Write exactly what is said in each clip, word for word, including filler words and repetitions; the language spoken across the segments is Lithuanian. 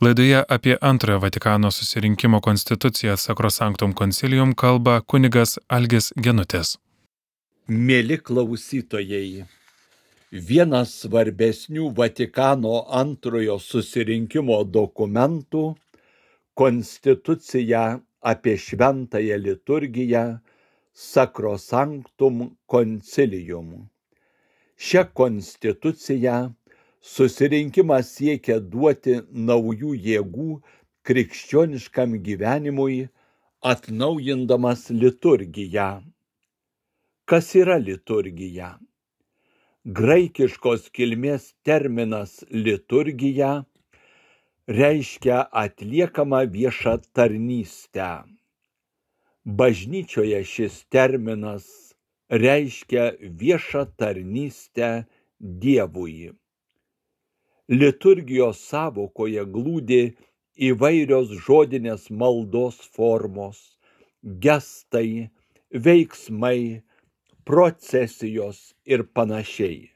Laidoje apie antrojo Vatikano susirinkimo konstituciją Sacrosanctum Concilium kalba kunigas Algis Genutis. Mėly klausytojai, vienas svarbesnių Vatikano antrojo susirinkimo dokumentų – konstitucija apie šventąją liturgiją Sacrosanctum Concilium. Šią konstituciją susirinkimas siekia duoti naujų jėgų krikščioniškam gyvenimui, atnaujindamas liturgiją. Kas yra liturgija? Graikiškos kilmės terminas liturgija reiškia atliekamą viešą tarnystę. Bažnyčioje šis terminas reiškia viešą tarnystę Dievui. Liturgijos sąvokoje glūdi įvairios žodinės maldos formos, gestai, veiksmai, procesijos ir panašiai.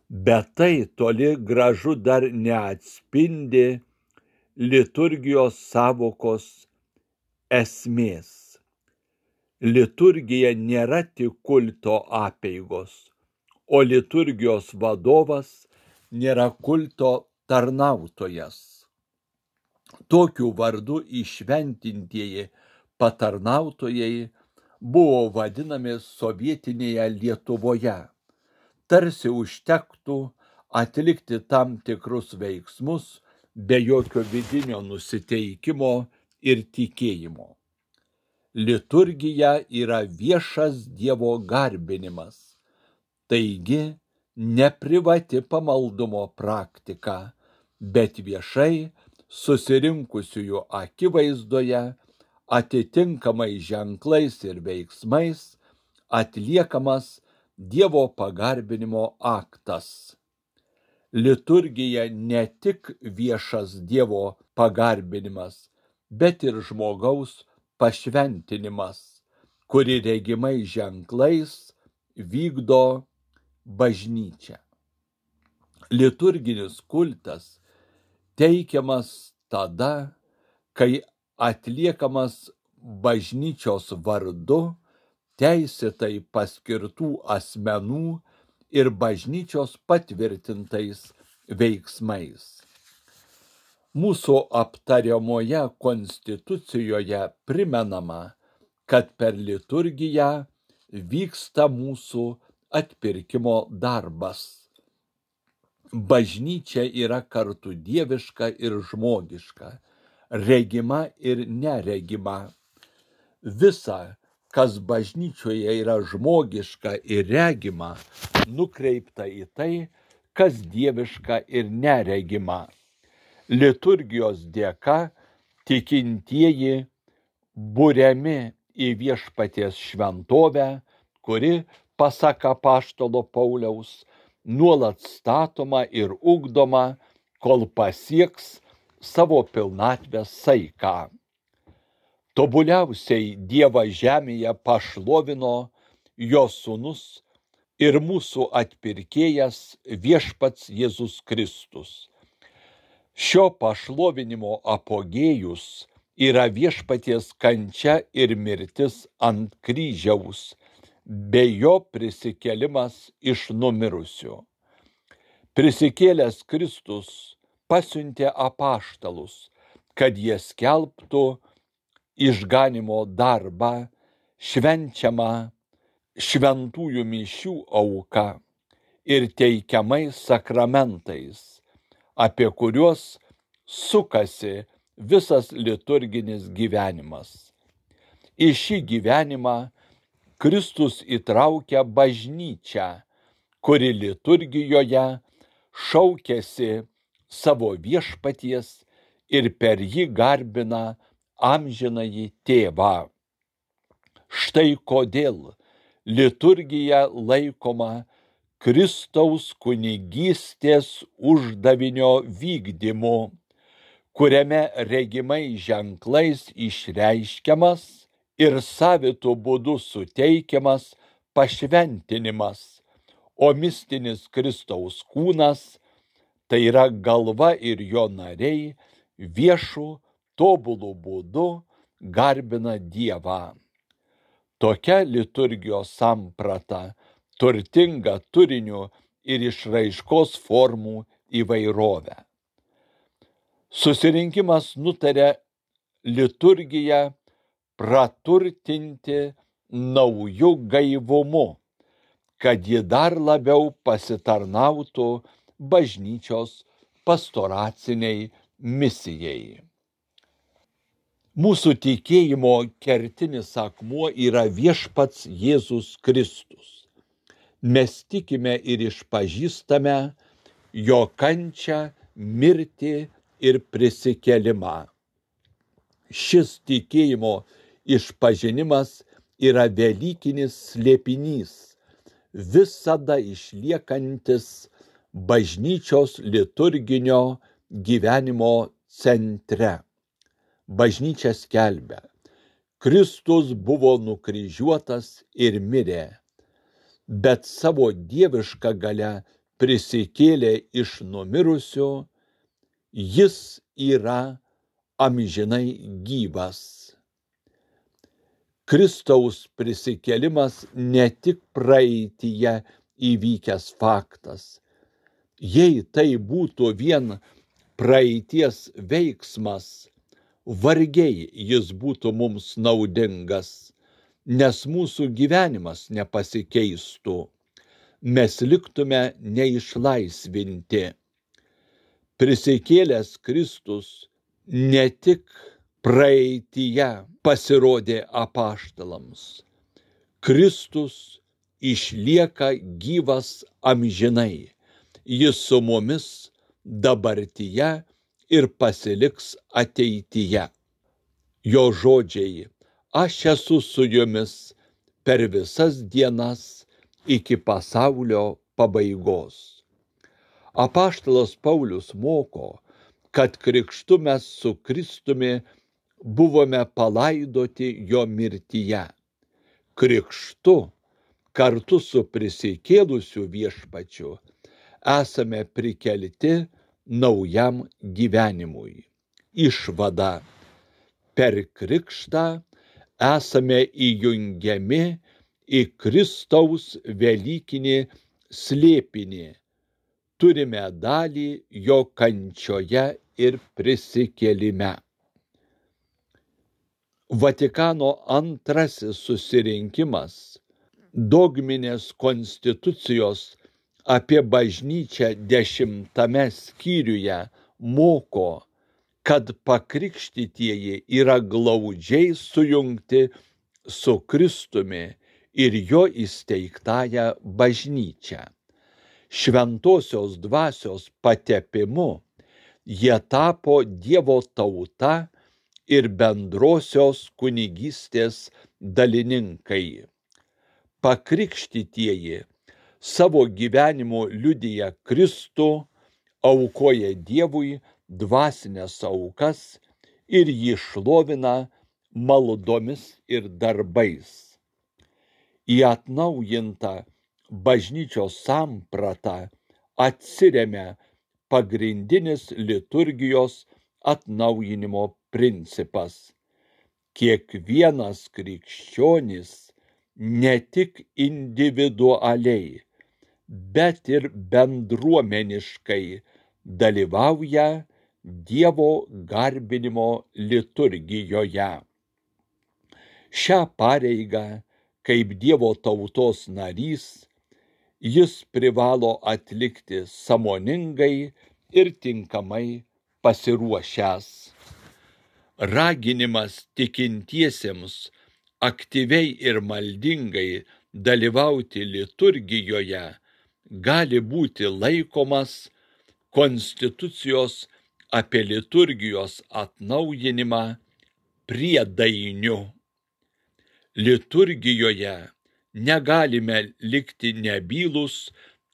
Bet tai toli gražu dar neatspindi liturgijos sąvokos esmės. Liturgija nėra tik kulto apeigos, o liturgijos vadovas nėra kulto tarnautojas. Tokiu vardu įšventintieji patarnautojai buvo vadinami sovietinėje Lietuvoje. Tarsi užtektų atlikti tam tikrus veiksmus be jokio vidinio nusiteikimo ir tikėjimo. Liturgija yra viešas Dievo garbinimas, taigi ne privati pamaldumo praktika, bet viešai susirinkusiųjų akivaizdoje atitinkamai ženklais ir veiksmais atliekamas Dievo pagarbinimo aktas. Liturgija ne tik viešas Dievo pagarbinimas, bet ir žmogaus pašventinimas, kuri regimai ženklais vykdo bažnyčia. Liturginis kultas teikiamas tada, kai atliekamas bažnyčios vardu, teisėtai paskirtų asmenų ir bažnyčios patvirtintais veiksmais. Mūsų aptariamoje konstitucijoje primenama, kad per liturgiją vyksta mūsų atpirkimo darbas. Bažnyčia yra kartu dieviška ir žmogiška, regima ir neregima. Visa, kas bažnyčioje yra žmogiška ir regima, nukreipta į tai, kas dieviška ir neregima. Liturgijos dėka tikintieji buriami į viešpaties šventovę, kuri, pasak apaštalo Pauliaus, nuolat statoma ir ugdoma, kol pasieks savo pilnatvės saiką. Tobuliausiai Dievą žemėje pašlovino jo sūnus ir mūsų atpirkėjas viešpats Jėzus Kristus. Šio pašlovinimo apogėjus yra viešpaties kančia ir mirtis ant kryžiaus, bei jo prisikėlimas iš numirusių. Prisikėlęs Kristus pasiuntė apaštalus, kad jie skelbtų išganymo darbą, švenčiamą šventųjų mišių auką ir teikiamais sakramentais, apie kuriuos sukasi visas liturginis gyvenimas. Į šį gyvenimą Kristus įtraukia bažnyčią, kuri liturgijoje šaukiasi savo viešpaties ir per jį garbina amžinąjį tėvą. Štai kodėl liturgija laikoma Kristaus kunigystės uždavinio vykdymu, kuriame regimai ženklais išreiškiamas ir savitu būdu suteikiamas pašventinimas, o mistinis Kristaus kūnas, tai yra galva ir jo nariai, viešu, tobulų būdu garbina Dievą. Tokia liturgijos samprata turtinga turiniu ir išraiškos formų įvairovę. Susirinkimas nutarė liturgiją praturtinti nauju gaivumu, kad ji dar labiau pasitarnautų bažnyčios pastoraciniai misijai. Mūsų tikėjimo kertinis akmuo yra viešpats Jėzus Kristus. Mes tikime ir išpažįstame jo kančią, mirtį ir prisikėlimą. Šis tikėjimo išpažinimas yra velykinis slėpinys, visada išliekantis bažnyčios liturginio gyvenimo centre. Bažnyčia skelbia: Kristus buvo nukryžiuotas ir mirė, bet savo dievišką galią prisikėlė iš numirusių, jis yra amžinai gyvas. Kristaus prisikėlimas ne tik praeityje įvykęs faktas. Jei tai būtų vien praeities veiksmas, vargiai jis būtų mums naudingas, nes mūsų gyvenimas nepasikeistų, mes liktume neišlaisvinti. Prisikėlęs Kristus ne tik praeityje pasirodė apaštalams. Kristus išlieka gyvas amžinai, jis su mumis dabartyje ir pasiliks ateityje. Jo žodžiai: aš esu su jumis per visas dienas iki pasaulio pabaigos. Apaštalas Paulius moko, kad krikštu mes su Kristumi buvome palaidoti jo mirtyje. Krikštu kartu su prisikėlusiu viešpačiu esame prikelti naujam gyvenimui. Išvada: per krikštą esame įjungiami į Kristaus velykinį slėpinį, turime dalį jo kančioje ir prisikėlime. Vatikano antrasis susirinkimas dogminės konstitucijos apie bažnyčią dešimtame skyriuje moko, kad pakrikštytieji yra glaudžiai sujungti su Kristumi ir jo įsteigtąja bažnyčia. Šventosios dvasios patepimu jie tapo Dievo tauta ir bendrosios kunigystės dalininkai. Pakrikštytieji savo gyvenimu liudija Kristų, aukoja Dievui dvasinės aukas ir jį šlovina maldomis ir darbais. Į atnaujintą bažnyčios sampratą atsiremia pagrindinis liturgijos atnaujinimo principas. Kiekvienas krikščionis ne tik individualiai, bet ir bendruomeniškai dalyvauja Dievo garbinimo liturgijoje. Šią pareigą, kaip Dievo tautos narys, jis privalo atlikti sąmoningai ir tinkamai pasiruošęs. Raginimas tikintiesiems aktyviai ir maldingai dalyvauti liturgijoje gali būti laikomas konstitucijos apie liturgijos atnaujinimą priedainiu. Liturgijoje negalime likti nebylūs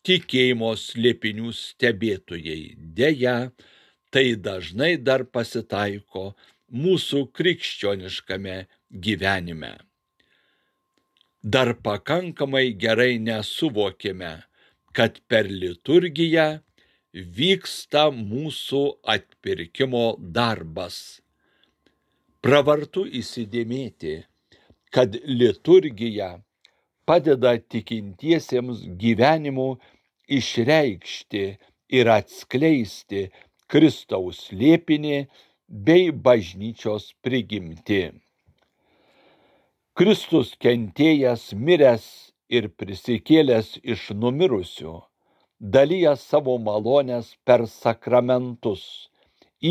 tikėjimo slėpinių stebėtojai. Deja, tai dažnai dar pasitaiko mūsų krikščioniškame gyvenime. Dar pakankamai gerai nesuvokėme, kad per liturgiją vyksta mūsų atpirkimo darbas. Pravartu įsidėmėti, kad liturgija padeda tikintiesiems gyvenimu išreikšti ir atskleisti Kristaus slėpinį bei bažnyčios prigimtį. Kristus kentėjęs, miręs ir prisikėlęs iš numirusių, dalyja savo malones per sakramentus,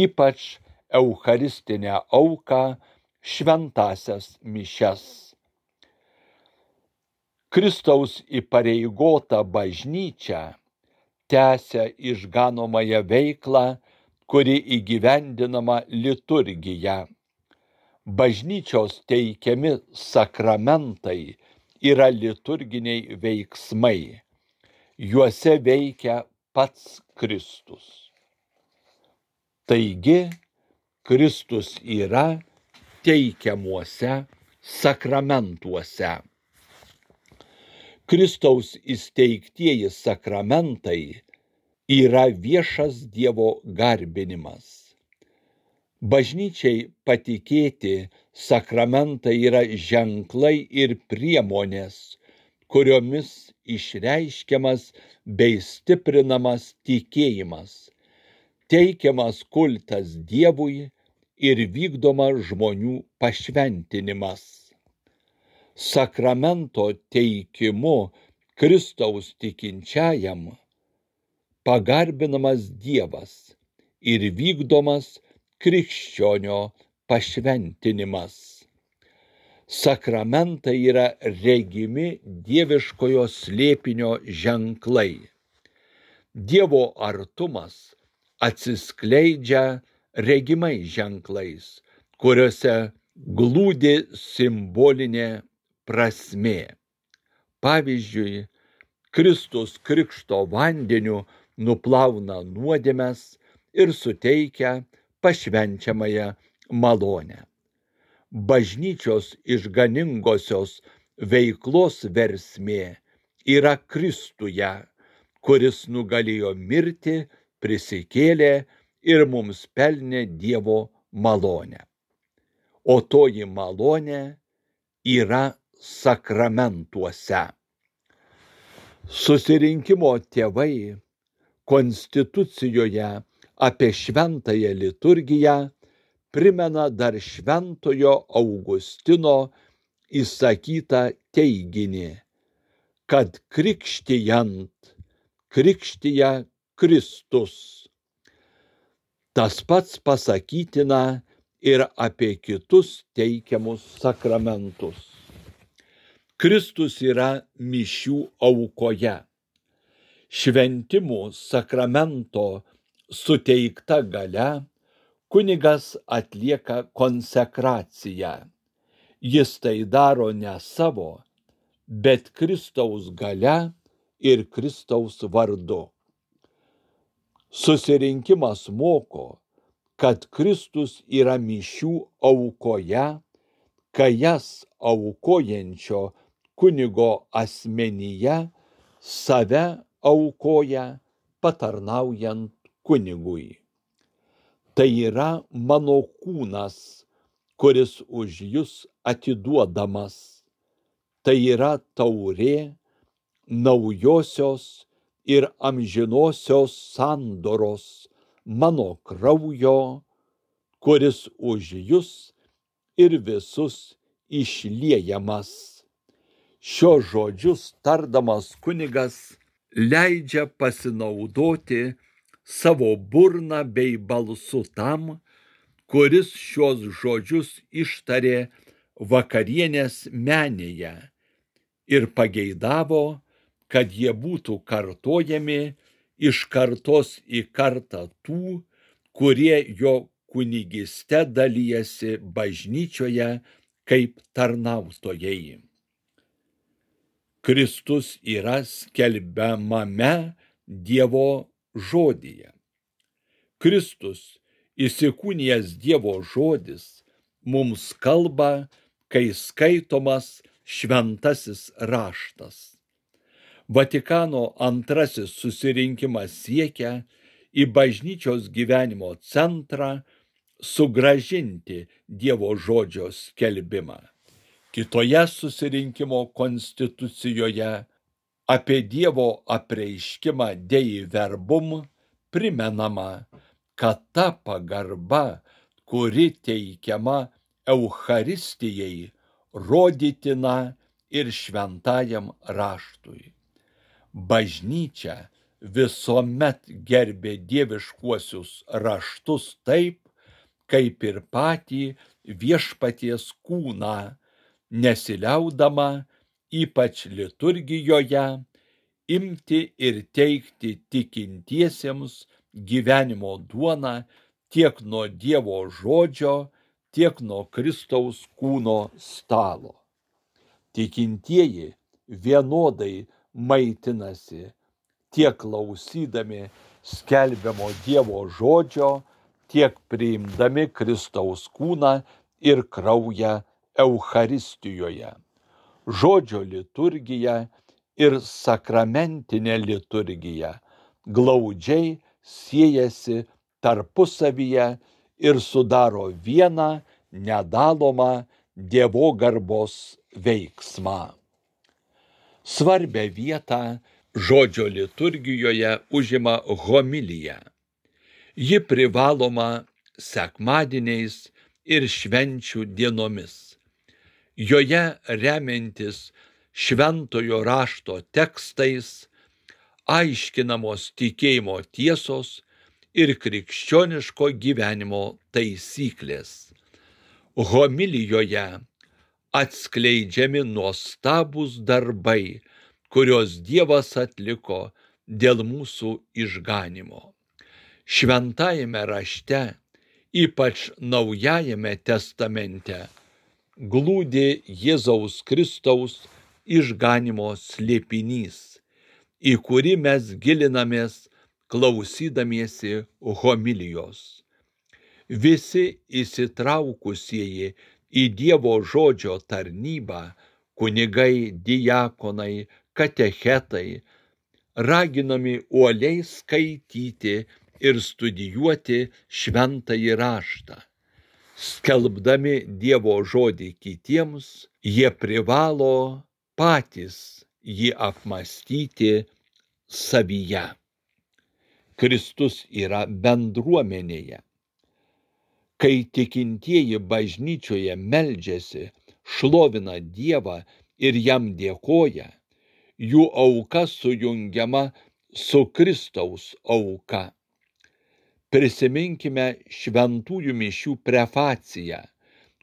ypač eucharistinę auką, šventąsias mišias. Kristaus įpareigota bažnyčia tęsia išganomąją veiklą, kuri įgyvendinama liturgija. Bažnyčios teikiami sakramentai yra liturginiai veiksmai. Juose veikia pats Kristus. Taigi, Kristus yra teikiamuose sakramentuose. Kristaus įsteigtieji sakramentai yra viešas Dievo garbinimas. Bažnyčiai patikėti sakramentai yra ženklai ir priemonės, kuriomis išreiškiamas bei stiprinamas tikėjimas, teikiamas kultas Dievui ir vykdomas žmonių pašventinimas. Sakramento teikimu Kristaus tikinčiajam pagarbinamas Dievas ir vykdomas krikščionio pašventinimas. Sakramentai yra regimi dieviškojo slėpinio ženklai. Dievo artumas atsiskleidžia regimais ženklais, kuriuose glūdi simbolinė prasmė. Pavyzdžiui, Kristus krikšto vandeniu nuplauna nuodėmes ir suteikia pašvenčiamąją malonę. Bažnyčios išganingosios veiklos versmė yra Kristuje, kuris nugalėjo mirtį, prisikėlė ir mums pelnė Dievo malonę. O toji malonė yra sakramentuose. Susirinkimo tėvai konstitucijoje apie šventąją liturgiją primena dar šventojo Augustino įsakytą teiginį, kad krikštijant krikštija Kristus. Tas pats pasakytina ir apie kitus teikiamus sakramentus. Kristus yra mišių aukoje. Šventimų sakramento suteikta galia, kunigas atlieka konsekraciją. Jis tai daro ne savo, bet Kristaus galia ir Kristaus vardu. Susirinkimas moko, kad Kristus yra mišių aukoje, kai jas aukojančio kunigo asmenyje save aukoja patarnaujant kunigui. Tai yra mano kūnas, kuris už jus atiduodamas. Tai yra taurė naujosios ir amžinosios sandoros mano kraujo, kuris už jus ir visus išliejamas. Šios žodžius tardamas kunigas leidžia pasinaudoti savo burną bei balsu tam, kuris šios žodžius ištarė vakarienės menėje ir pageidavo, kad jie būtų kartojami iš kartos į kartą tų, kurie jo kunigyste dalijasi bažnyčioje kaip tarnautojai. Kristus yra skelbiamame Dievo žodyje. Kristus, įsikūnijęs Dievo žodis, mums kalba, kai skaitomas šventasis raštas. Vatikano antrasis susirinkimas siekia į bažnyčios gyvenimo centrą sugrąžinti Dievo žodžio skelbimą. Kitoje susirinkimo konstitucijoje apie Dievo apreiškimą Dei verbum primenama, kad ta pagarba, kuri teikiama Eucharistijai, rodytina ir šventajam raštui. Bažnyčia visuomet gerbė dieviškuosius raštus taip, kaip ir patį viešpaties kūną, nesiliaudama, ypač liturgijoje, imti ir teikti tikintiesiems gyvenimo duoną tiek nuo Dievo žodžio, tiek nuo Kristaus kūno stalo. Tikintieji vienodai maitinasi tiek klausydami skelbiamo Dievo žodžio, tiek priimdami Kristaus kūną ir kraują Eucharistijoje. Žodžio liturgija ir sakramentinė liturgija glaudžiai siejasi tarpusavyje ir sudaro vieną nedalomą dievogarbos veiksmą. Svarbią vietą žodžio liturgijoje užima homilija. Ji privaloma sekmadieniais ir švenčių dienomis. Joje remiantis šventojo rašto tekstais aiškinamos tikėjimo tiesos ir krikščioniško gyvenimo taisyklės. Homilijoje atskleidžiami nuostabūs darbai, kuriuos Dievas atliko dėl mūsų išganymo. Šventajame rašte, ypač Naujajame testamente, glūdi Jėzaus Kristaus išganymo slėpinys, į kurį mes gilinamės klausydamiesi homilijos. Visi įsitraukusieji į Dievo žodžio tarnybą, kunigai, diakonai, katechetai, raginami uoliai skaityti ir studijuoti šventąjį raštą. Skelbdami Dievo žodį kitiems, jie privalo patys jį apmąstyti savyje. Kristus yra bendruomenėje. Kai tikintieji bažnyčioje meldžiasi, šlovina Dievą ir jam dėkoja, jų auka sujungiama su Kristaus auka. Prisiminkime šventųjų mišių prefaciją,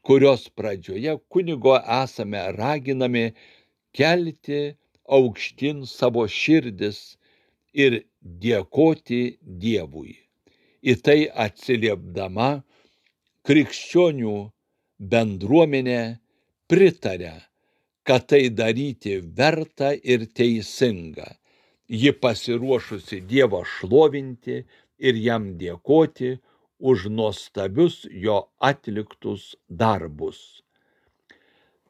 kurios pradžioje kunigo esame raginami kelti aukštyn savo širdis ir dėkoti Dievui. Į tai atsiliepdama, krikščionių bendruomenė pritaria, kad tai daryti verta ir teisinga. Ji pasiruošusi Dievą šlovinti ir jam dėkoti už nuostabius jo atliktus darbus.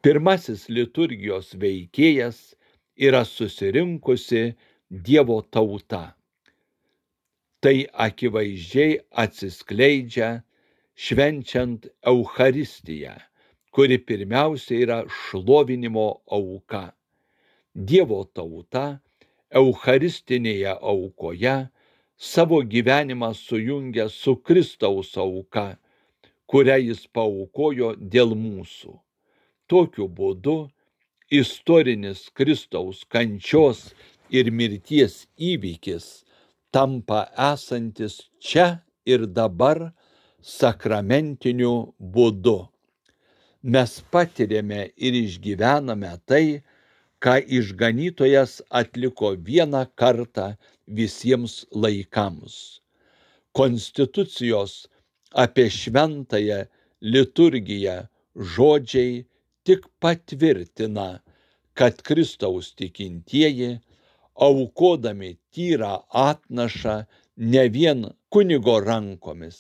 Pirmasis liturgijos veikėjas yra susirinkusi Dievo tauta. Tai akivaizdžiai atsiskleidžia švenčiant Eucharistiją, kuri pirmiausia yra šlovinimo auka. Dievo tauta Eucharistinėje aukoje savo gyvenimą sujungia su Kristaus auka, kurią jis paaukojo dėl mūsų. Tokiu būdu istorinis Kristaus kančios ir mirties įvykis tampa esantis čia ir dabar sakramentiniu būdu. Mes patiriame ir išgyvename tai, ką išganytojas atliko vieną kartą visiems laikams. Konstitucijos apie šventąją liturgiją žodžiai tik patvirtina, kad Kristaus tikintieji, aukodami tyrą atnašą ne vien kunigo rankomis,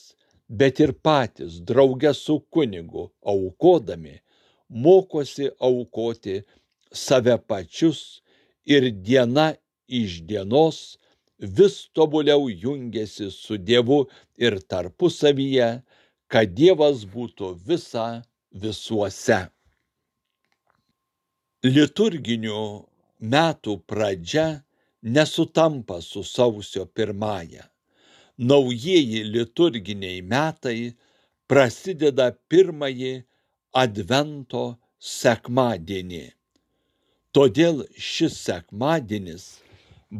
bet ir patys drauge su kunigu aukodami, mokosi aukoti save pačius ir diena iš dienos vis tobuliau jungiasi su Dievu ir tarpusavyje, kad Dievas būtų visa visuose. Liturginių metų pradžia nesutampa su sausio pirmąja. Naujieji liturginiai metai prasideda pirmąjį Advento sekmadienį. Todėl šis sekmadienis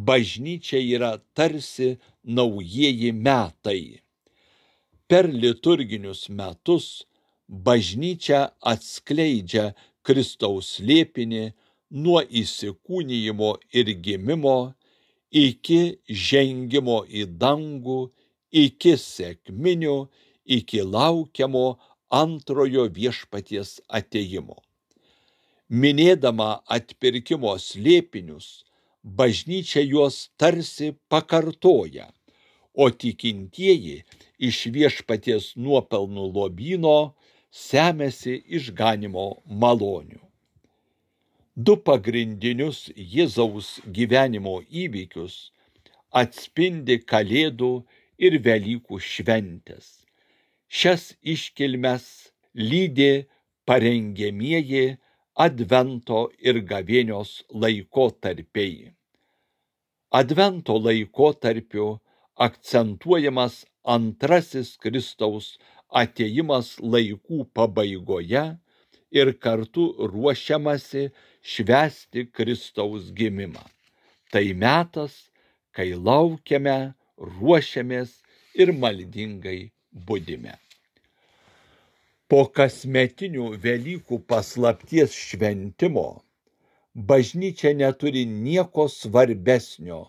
bažnyčiai yra tarsi naujieji metai. Per liturginius metus bažnyčia atskleidžia Kristaus slėpinį nuo įsikūnijimo ir gimimo iki žengimo į dangų, iki sekminių, iki laukiamo antrojo viešpaties atėjimo. Minėdama atpirkimo slėpinius, bažnyčia juos tarsi pakartoja, o tikintieji iš viešpaties nuopelnų lobyno semiasi išganymo malonių. Du pagrindinius Jėzaus gyvenimo įvykius atspindi Kalėdų ir Velykų šventės. Šias iškilmes lydi parengiamieji Advento ir gavėnios laikotarpiai. Advento laikotarpiu akcentuojamas antrasis Kristaus atėjimas laikų pabaigoje ir kartu ruošiamasi švęsti Kristaus gimimą. Tai metas, kai laukiame, ruošiamės ir maldingai budime. Po kasmetinių Velykų paslapties šventimo bažnyčia neturi nieko svarbesnio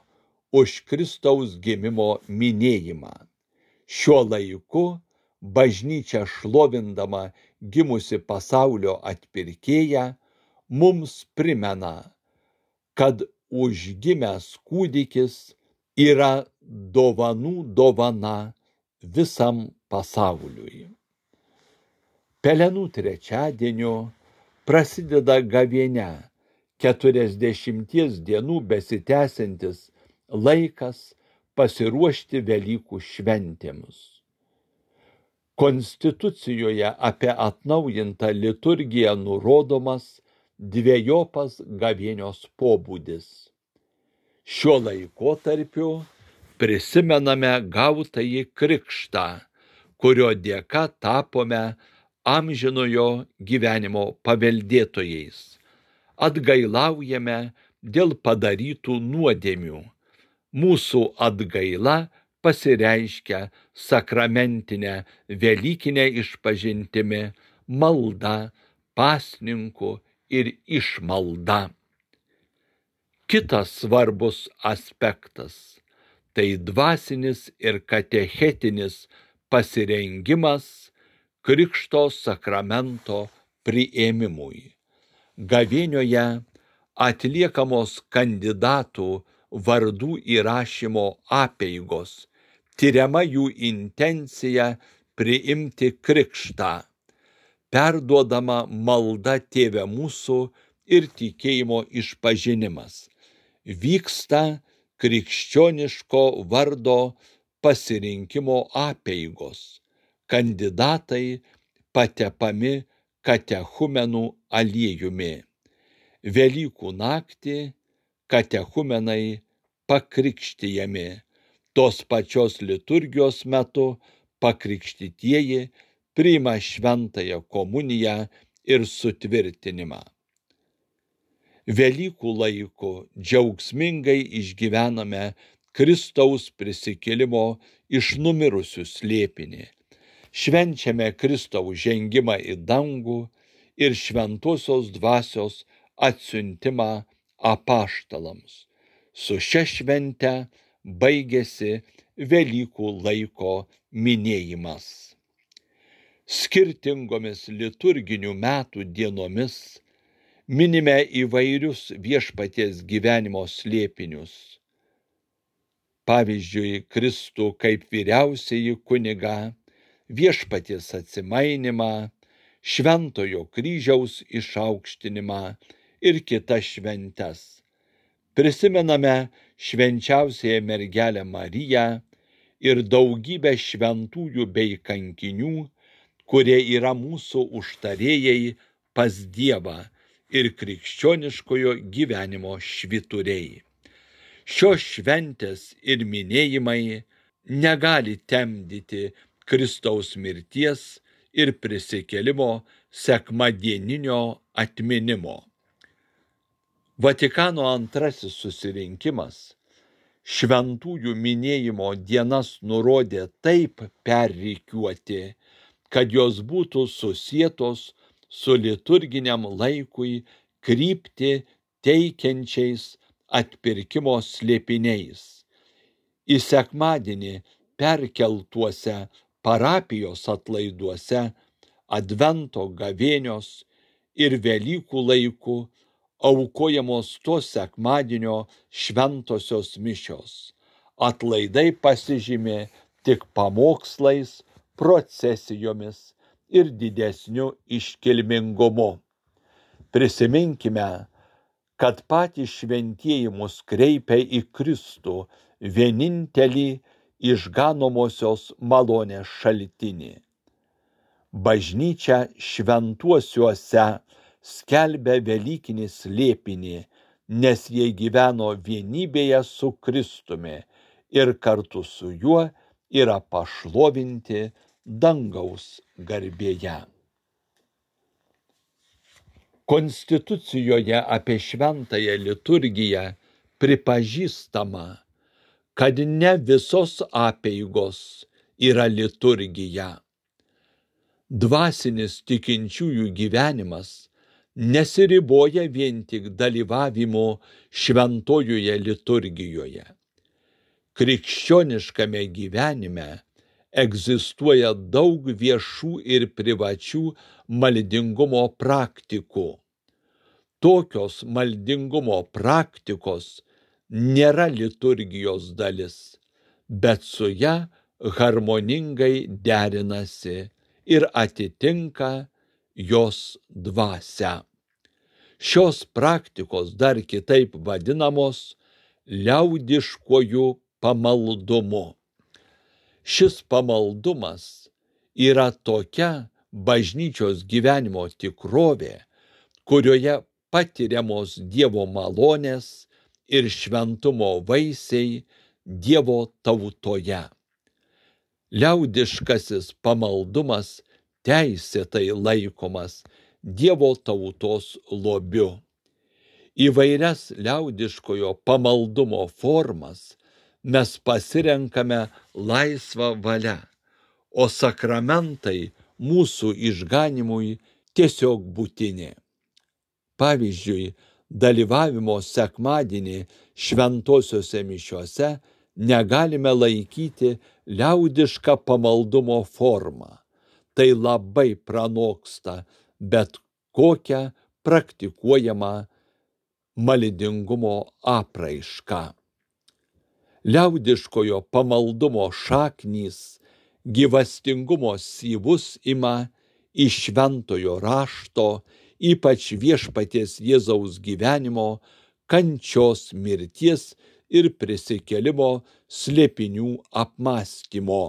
už Kristaus gimimo minėjimą. Šiuo laiku bažnyčia šlovindama gimusi pasaulio atpirkėją mums primena, kad užgimęs kūdikis yra dovanų dovana visam pasauliui. Pelenų trečiadieniu prasideda gavėnia, keturiasdešimties dienų besitęsiantis laikas pasiruošti Velykų šventėms. Konstitucijoje apie atnaujintą liturgiją nurodomas dvejopas gavėnios pobūdis. Šiuo laikotarpiu prisimename gautąjį krikštą, kurio dėka tapome amžinojo gyvenimo paveldėtojais. Atgailaujame dėl padarytų nuodėmių. Mūsų atgaila pasireiškia sakramentinę velykinę išpažintimi, malda, pasninku ir išmalda. Kitas svarbus aspektas – tai dvasinis ir katechetinis pasirengimas Krikšto sakramento priėmimui. Gavėnioje atliekamos kandidatų vardų įrašymo apeigos, tiriama jų intencija priimti krikštą, perduodama malda Tėve mūsų ir tikėjimo išpažinimas. Vyksta krikščioniško vardo pasirinkimo apeigos. Kandidatai patepami katechumenų aliejumi. Velykų naktį katechumenai pakrikštijami. Tos pačios liturgijos metu pakrikštytieji priima šventąją komuniją ir sutvirtinimą. Velykų laiku džiaugsmingai išgyvename Kristaus prisikėlimo iš numirusių slėpinį. Švenčiame Kristaus žengimą į dangų ir šventosios dvasios atsiuntimą apaštalams. Su šia švente baigėsi Velykų laiko minėjimas. Skirtingomis liturginių metų dienomis minime įvairius viešpaties gyvenimo slėpinius. Pavyzdžiui, Kristų kaip vyriausiąjį kunigą, viešpaties atsimainimą, šventojo kryžiaus išaukštinimą ir kitas šventes. Prisimename švenčiausiąją mergelę Mariją ir daugybę šventųjų bei kankinių, kurie yra mūsų užtarėjai pas Dievą ir krikščioniškojo gyvenimo švyturiai. Šios šventės ir minėjimai negali temdyti Kristaus mirties ir prisikėlimo sekmadieninio atminimo. Vatikano antrasis susirinkimas šventųjų minėjimo dienas nurodė taip perrikiuoti, kad jos būtų susietos su liturginiam laikui kryptį teikiančiais atpirkimo slėpiniais. Į sekmadienį perkeltuose parapijos atlaiduose, Advento gavėnios ir Velykų laikų aukojamos to sekmadienio šventosios mišios. Atlaidai pasižymė tik pamokslais, procesijomis ir didesniu iškilmingumu. Prisiminkime, kad patys šventieji mus kreipia į Kristų, vienintelį išganomosios malonės šaltinį. Bažnyčia šventuosiuose skelbia velykinį slėpinį, nes jie gyveno vienybėje su Kristumi ir kartu su juo yra pašlovinti dangaus garbėje. Konstitucijoje apie šventąją liturgiją pripažįstama, kad ne visos apeigos yra liturgija. Dvasinis tikinčiųjų gyvenimas nesiriboja vien tik dalyvavimu šventojoje liturgijoje. Krikščioniškame gyvenime egzistuoja daug viešų ir privačių maldingumo praktikų. Tokios maldingumo praktikos nėra liturgijos dalis, bet su ja harmoningai derinasi ir atitinka jos dvasią. Šios praktikos dar kitaip vadinamos liaudiškuoju pamaldumu. Šis pamaldumas yra tokia bažnyčios gyvenimo tikrovė, kurioje patiriamos Dievo malonės ir šventumo vaisiai Dievo tautoje. Liaudiškasis pamaldumas teisėtai laikomas Dievo tautos lobiu. Įvairias liaudiškojo pamaldumo formas mes pasirenkame laisvą valią, o sakramentai mūsų išganymui tiesiog būtini. Pavyzdžiui, dalyvavimo sekmadienį šventosiuose mišiuose negalime laikyti liaudišką pamaldumo formą. Tai labai pranoksta bet kokią praktikuojamą maldingumo apraišką. Liaudiškojo pamaldumo šaknys gyvastingumo syvus ima iš šventojo rašto, ypač viešpaties Jėzaus gyvenimo, kančios, mirties ir prisikėlimo slėpinių apmąstymo.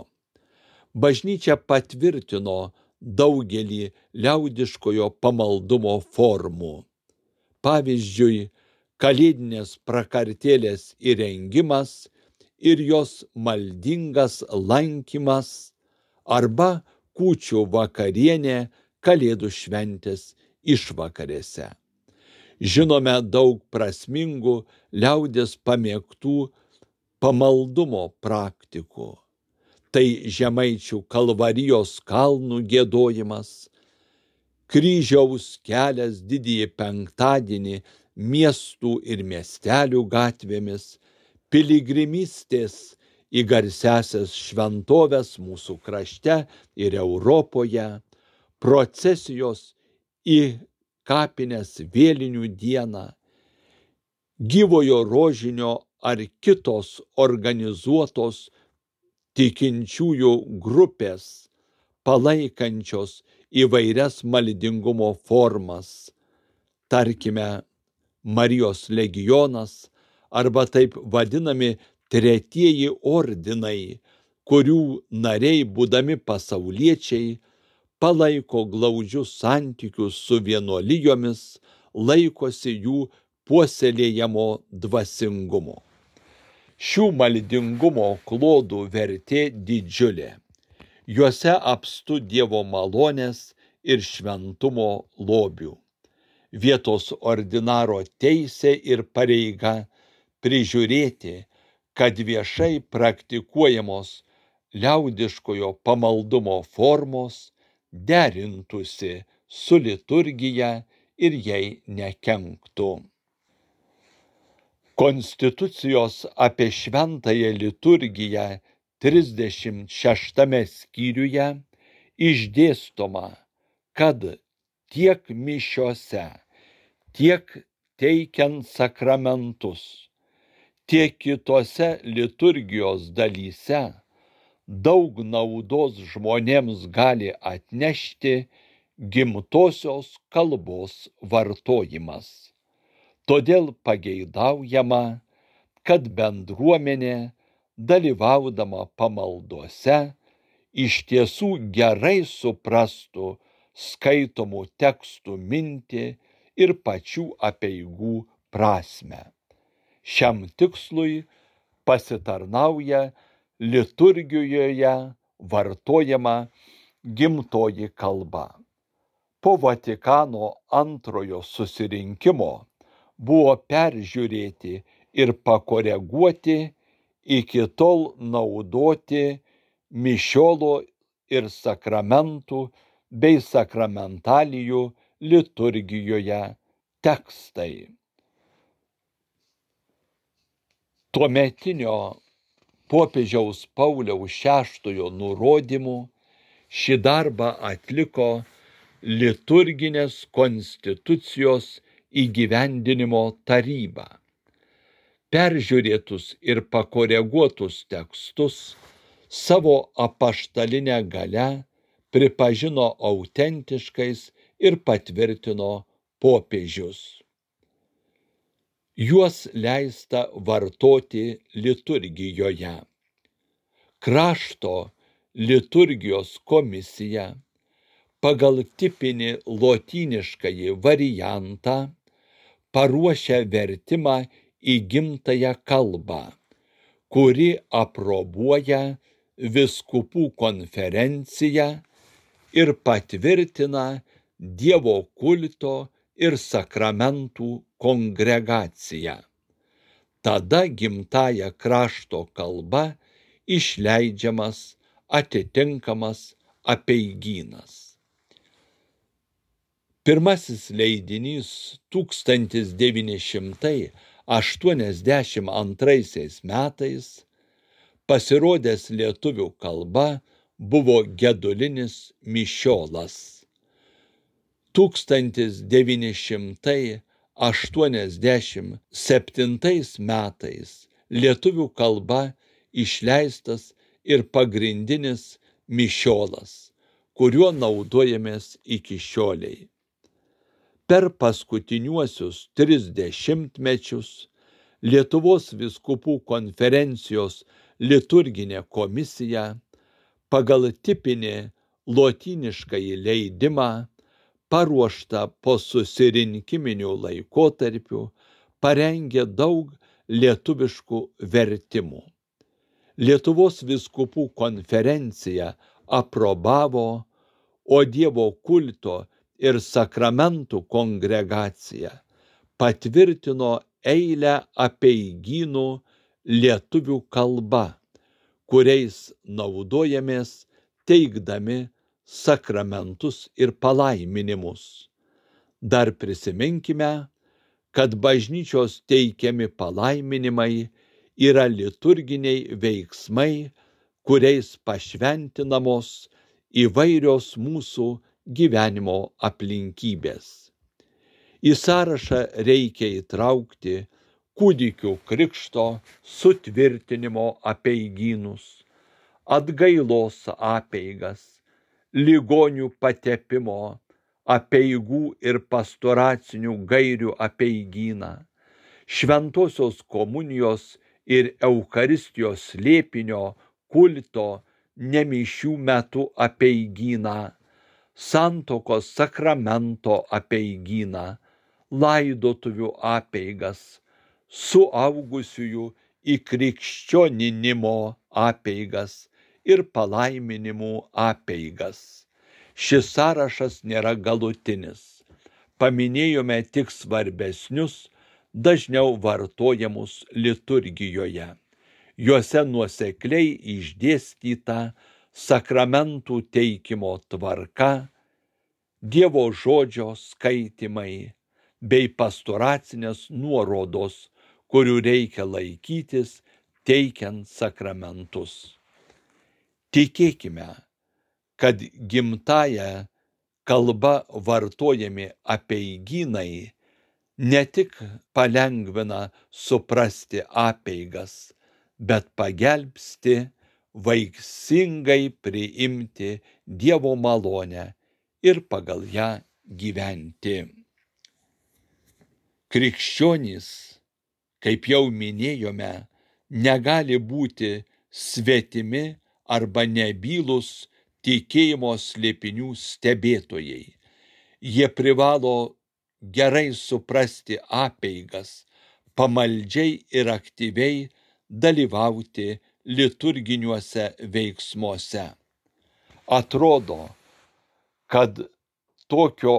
Bažnyčia patvirtino daugelį liaudiškojo pamaldumo formų. Pavyzdžiui, kalėdinės prakartėlės įrengimas ir jos maldingas lankymas arba kūčių vakarienė Kalėdų šventės išvakarėse. Žinome daug prasmingų liaudies pamėgtų pamaldumo praktikų. Tai Žemaičių Kalvarijos kalnų giedojimas, kryžiaus kelias didįjį penktadienį miestų ir miestelių gatvėmis, piligrimystės į garsiąsias šventoves mūsų krašte ir Europoje, procesijos į kapines vėlinių dieną, gyvojo rožinio ar kitos organizuotos tikinčiųjų grupės, palaikančios įvairias maldingumo formas, tarkime, Marijos legionas arba taip vadinami tretieji ordinai, kurių nariai, būdami pasauliečiai, palaiko glaudžius santykius su vienuolijomis, laikosi jų puoselėjamo dvasingumo. Šių maldingumo klodų vertė didžiulė. Juose apstu Dievo malonės ir šventumo lobių. Vietos ordinaro teisė ir pareiga prižiūrėti, kad viešai praktikuojamos liaudiškojo pamaldumo formos derintųsi su liturgija ir jai nekenktų. Konstitucijos apie šventąją liturgiją trisdešimt šeštame skyriuje išdėstoma, kad tiek mišiose, tiek teikiant sakramentus, tiek kitose liturgijos dalyse daug naudos žmonėms gali atnešti gimtosios kalbos vartojimas. Todėl pageidaujama, kad bendruomenė, dalyvaudama pamaldose, iš tiesų gerai suprastų skaitomų tekstų mintį ir pačių apeigų prasmę. Šiam tikslui pasitarnauja liturgijoje vartojama gimtoji kalba. Po Vatikano antrojo susirinkimo buvo peržiūrėti ir pakoreguoti iki tol naudoti mišiolo ir sakramentų bei sakramentalijų liturgijoje tekstai. Tuometinio popiežiaus Pauliaus šeštojo nurodymu šį darbą atliko liturginės konstitucijos įgyvendinimo taryba. Peržiūrėtus ir pakoreguotus tekstus savo apaštaline galia pripažino autentiškais ir patvirtino popiežius. Juos leista vartoti liturgijoje. Krašto liturgijos komisija pagal tipinį lotyniškąjį variantą paruošia vertimą į gimtąją kalbą, kuri aprobuoja vyskupų konferencija ir patvirtina Dievo kulto ir sakramentų kongregacija. Tada gimtąja krašto kalba išleidžiamas atitinkamas apeigynas. Pirmasis leidinys tūkstantis devyni šimtai aštuoniasdešimt antraisiais metais pasirodęs lietuvių kalba buvo gedulinis mišiolas. tūkstantis devyni šimtai aštuoniasdešimt septintais metais lietuvių kalba išleistas ir pagrindinis mišiolas, kuriuo naudojamės iki šiolei. Per paskutiniuosius tris dešimtmečius Lietuvos vyskupų konferencijos liturginė komisija pagal tipinį lotyniškąjį leidimą paruoštą po susirinkiminiu laikotarpiu parengė daug lietuviškų vertimų. Lietuvos vyskupų konferencija aprobavo, o Dievo kulto ir sakramentų kongregacija patvirtino eilę apeigynų lietuvių kalba, kuriais naudojamės teikdami sakramentus ir palaiminimus. Dar prisiminkime, kad bažnyčios teikiami palaiminimai yra liturginiai veiksmai, kuriais pašventinamos įvairios mūsų gyvenimo aplinkybės. Į sąrašą reikia įtraukti kūdikių krikšto sutvirtinimo apeigynus, atgailos apeigas, ligonių patepimo, apeigų ir pastoracinių gairių apeigyną, šventosios komunijos ir Eucharistijos slėpinio kulto nemišių metu apeigyną, santuokos sakramento apeigyną, laidotuvių apeigas, suaugusiųjų įkrikščioninimo apeigas ir palaiminimų apeigas. Šis sąrašas nėra galutinis. Paminėjome tik svarbesnius, dažniau vartojamus liturgijoje. Juose nuosekliai išdėstyta sakramentų teikimo tvarka, Dievo žodžio skaitymai bei pastoracinės nuorodos, kurių reikia laikytis teikiant sakramentus. Tikėkime, kad gimtąja kalba vartojami apeigynai ne tik palengvina suprasti apeigas, bet pagelbsti vaisingai priimti Dievo malonę ir pagal ją gyventi. Krikščionys, kaip jau minėjome, negali būti svetimi arba nebylūs tikėjimo slėpinių stebėtojai. Jie privalo gerai suprasti apeigas, pamaldžiai ir aktyviai dalyvauti liturginiuose veiksmuose. Atrodo, kad tokio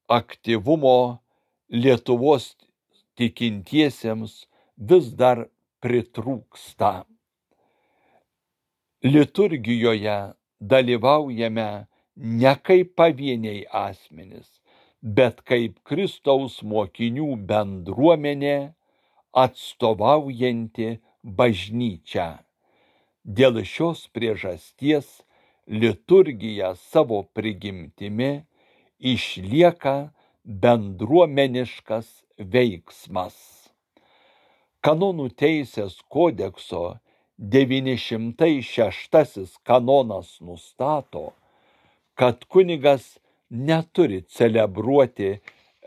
aktyvumo Lietuvos tikintiesiems vis dar pritrūksta. Liturgijoje dalyvaujame ne kaip pavieniai asmenys, bet kaip Kristaus mokinių bendruomenė atstovaujanti bažnyčią. Dėl šios priežasties liturgija savo prigimtimi išlieka bendruomeniškas veiksmas. Kanonų teisės kodekso devyni šimtai šeštasis kanonas nustato, kad kunigas neturi celebruoti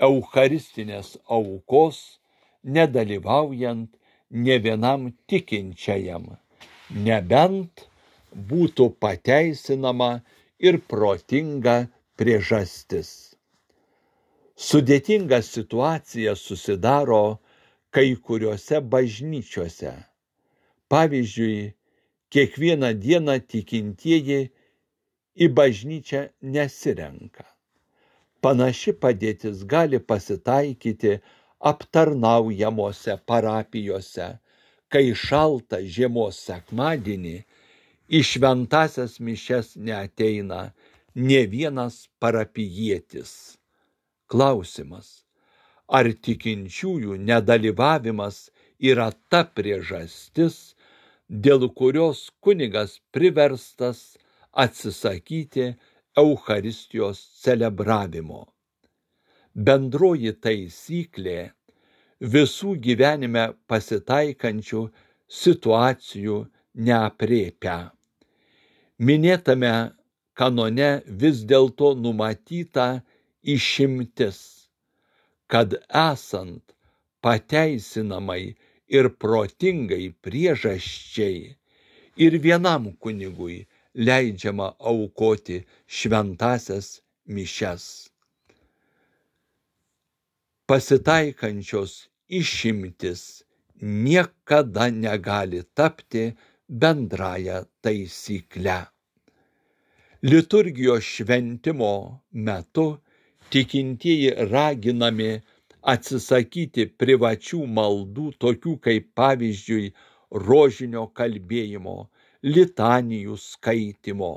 eucharistinės aukos, nedalyvaujant nė vienam tikinčiajam, nebent būtų pateisinama ir protinga priežastis. Sudėtinga situacija susidaro kai kuriuose bažnyčiose. Pavyzdžiui, kiekvieną dieną tikintieji į bažnyčią nesirenka. Panaši padėtis gali pasitaikyti aptarnaujamose parapijose, kai šaltą žiemos sekmadienį į šventąsias mišias neateina nė vienas parapijietis. Klausimas, ar tikinčiųjų nedalyvavimas yra ta priežastis, dėl kurios kunigas priverstas atsisakyti Eucharistijos celebravimo. Bendroji taisyklė visų gyvenime pasitaikančių situacijų neaprėpia. Minėtame kanone vis dėlto numatyta išimtis, kad esant pateisinamai ir protingai priežasčiai ir vienam kunigui leidžiama aukoti šventąsias mišias. Pasitaikančios išimtis niekada negali tapti bendraja taisykle. Liturgijos šventimo metu tikintieji raginami atsisakyti privačių maldų, tokių kaip pavyzdžiui rožinio kalbėjimo, litanijų skaitymo.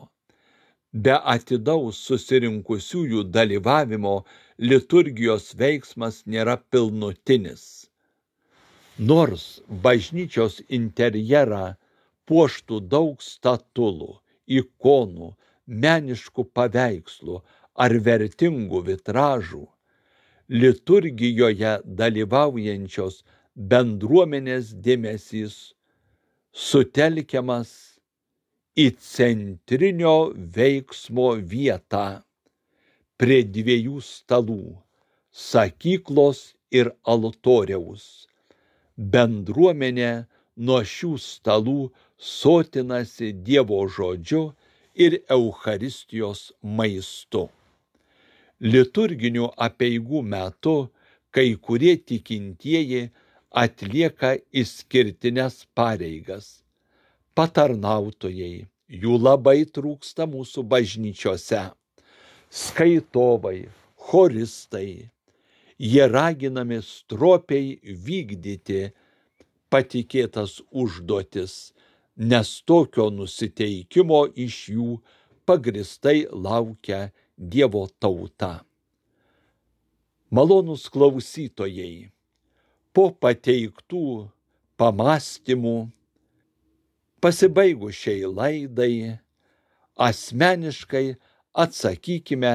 Be atidaus susirinkusiųjų dalyvavimo liturgijos veiksmas nėra pilnutinis. Nors bažnyčios interjerą puoštų daug statulų, ikonų, meniškų paveikslų ar vertingų vitražų, liturgijoje dalyvaujančios bendruomenės dėmesys sutelkiamas į centrinio veiksmo vietą prie dviejų stalų – sakyklos ir altoriaus, Bendruomenė nuo šių stalų sotinasi Dievo žodžiu ir Eucharistijos maistu. Liturginių apeigų metu kai kurie tikintieji atlieka išskirtines pareigas. Patarnautojai, jų labai trūksta mūsų bažnyčiose. Skaitovai, choristai, jie raginami stropiai vykdyti patikėtas užduotis, nes tokio nusiteikimo iš jų pagristai laukia Dievo tauta. Malonūs klausytojai, po pateiktų pamąstymų, pasibaigus šiai laidai, asmeniškai atsakykime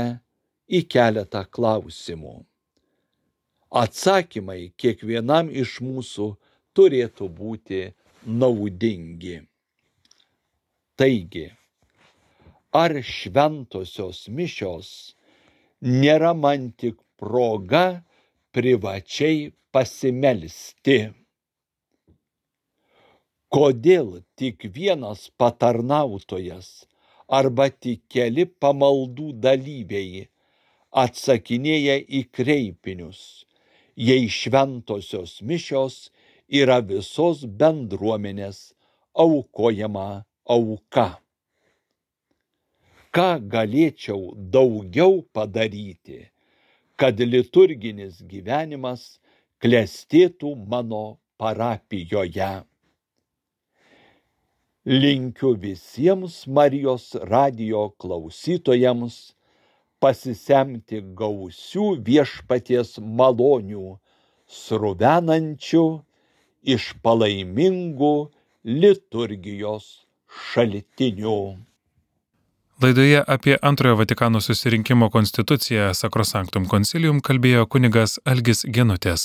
į keletą klausimų. Atsakymai kiekvienam iš mūsų turėtų būti naudingi. Taigi, ar šventosios mišios nėra man tik proga privačiai pasimelsti? Kodėl tik vienas patarnautojas arba tik keli pamaldų dalyviai atsakinėja į kreipinius, jei šventosios mišios yra visos bendruomenės aukojama auka? Ką galėčiau daugiau padaryti, kad liturginis gyvenimas klestėtų mano parapijoje? Linkiu visiems Marijos radijo klausytojams pasisemti gausių viešpaties malonių, sruvenančių iš palaimingų liturgijos šaltinių. Laidoje apie Antrojo Vatikano susirinkimo konstituciją Sacrosanctum Concilium kalbėjo kunigas Algis Genutės.